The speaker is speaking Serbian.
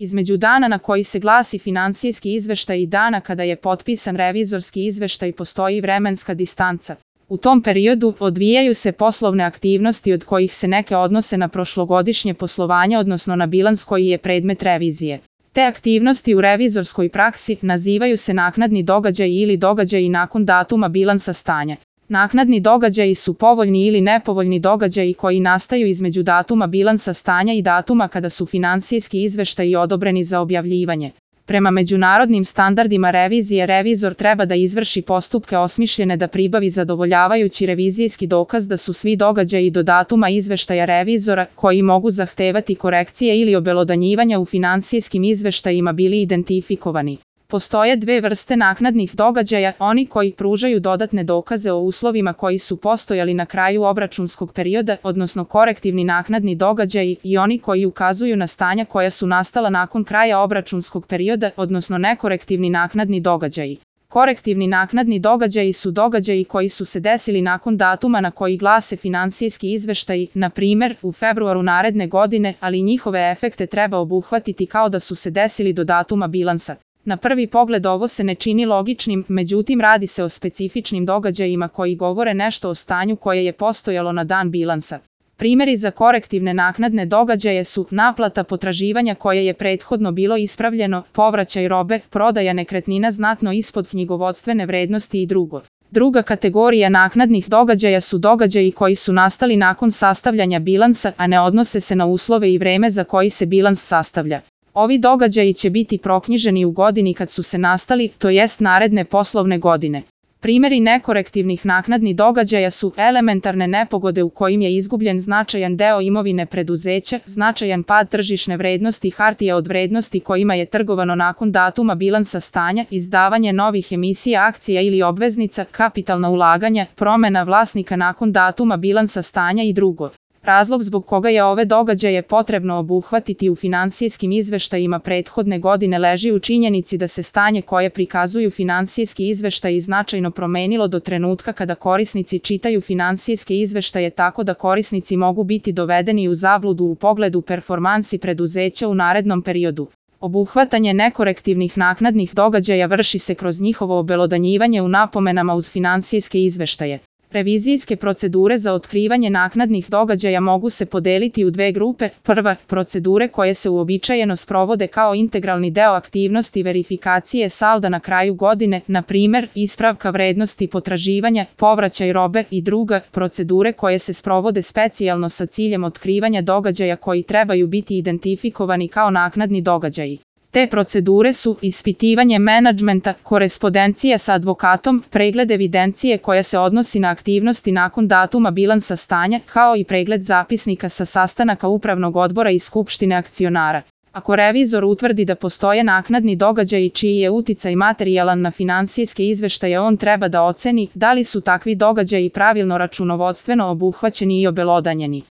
Između dana na koji se glasi finansijski izveštaj i dana kada je potpisan revizorski izveštaj postoji vremenska distanca. U tom periodu odvijaju se poslovne aktivnosti od kojih se neke odnose na prošlogodišnje poslovanje, odnosno na bilans koji je predmet revizije. Te aktivnosti u revizorskoj praksi nazivaju se naknadni događaji ili događaji nakon datuma bilansa stanja. Naknadni događaji su povoljni ili nepovoljni događaji koji nastaju između datuma bilansa stanja i datuma kada su finansijski izveštaji odobreni za objavljivanje. Prema međunarodnim standardima revizije, revizor treba da izvrši postupke osmišljene da pribavi zadovoljavajući revizijski dokaz da su svi događaji do datuma izveštaja revizora, koji mogu zahtevati korekcije ili obelodanjivanja u finansijskim izveštajima, bili identifikovani. Postoje dve vrste naknadnih događaja, oni koji pružaju dodatne dokaze o uslovima koji su postojali na kraju obračunskog perioda, odnosno korektivni naknadni događaji, i oni koji ukazuju na stanja koja su nastala nakon kraja obračunskog perioda, odnosno nekorektivni naknadni događaji. Korektivni naknadni događaji su događaji koji su se desili nakon datuma na koji glase finansijski izveštaji, na primer, u februaru naredne godine, ali njihove efekte treba obuhvatiti kao da su se desili do datuma bilansa. Na prvi pogled ovo se ne čini logičnim, međutim radi se o specifičnim događajima koji govore nešto o stanju koje je postojalo na dan bilansa. Primjeri za korektivne naknadne događaje su naplata potraživanja koje je prethodno bilo ispravljeno, povraćaj robe, prodaja nekretnina znatno ispod knjigovodstvene vrednosti i drugo. Druga kategorija naknadnih događaja su događaji koji su nastali nakon sastavljanja bilansa, a ne odnose se na uslove i vreme za koji se bilans sastavlja. Ovi događaji će biti proknjiženi u godini kad su se nastali, to jest naredne poslovne godine. Primjeri nekorektivnih naknadnih događaja su elementarne nepogode u kojim je izgubljen značajan deo imovine preduzeća, značajan pad tržišne vrednosti hartija od vrednosti kojima je trgovano nakon datuma bilansa stanja, izdavanje novih emisija akcija ili obveznica, kapitalna ulaganja, promjena vlasnika nakon datuma bilansa stanja i drugo. Razlog zbog koga je ove događaje potrebno obuhvatiti u finansijskim izveštajima prethodne godine leži u činjenici da se stanje koje prikazuju finansijski izveštaji značajno promenilo do trenutka kada korisnici čitaju finansijske izveštaje, tako da korisnici mogu biti dovedeni u zabludu u pogledu performansi preduzeća u narednom periodu. Obuhvatanje nekorektivnih naknadnih događaja vrši se kroz njihovo obelodanjivanje u napomenama uz finansijske izveštaje. Revizijske procedure za otkrivanje naknadnih događaja mogu se podeliti u dve grupe. Prva, procedure koje se uobičajeno sprovode kao integralni deo aktivnosti verifikacije salda na kraju godine, na primjer, ispravka vrednosti potraživanja, povraćaj robe, i druga, procedure koje se sprovode specijalno sa ciljem otkrivanja događaja koji trebaju biti identifikovani kao naknadni događaji. Te procedure su ispitivanje menadžmenta, korespondencija sa advokatom, pregled evidencije koja se odnosi na aktivnosti nakon datuma bilansa stanja, kao i pregled zapisnika sa sastanaka upravnog odbora i skupštine akcionara. Ako revizor utvrdi da postoje naknadni događaji čiji je uticaj materijalan na finansijske izveštaje, on treba da oceni da li su takvi događaji pravilno računovodstveno obuhvaćeni i obelodanjeni.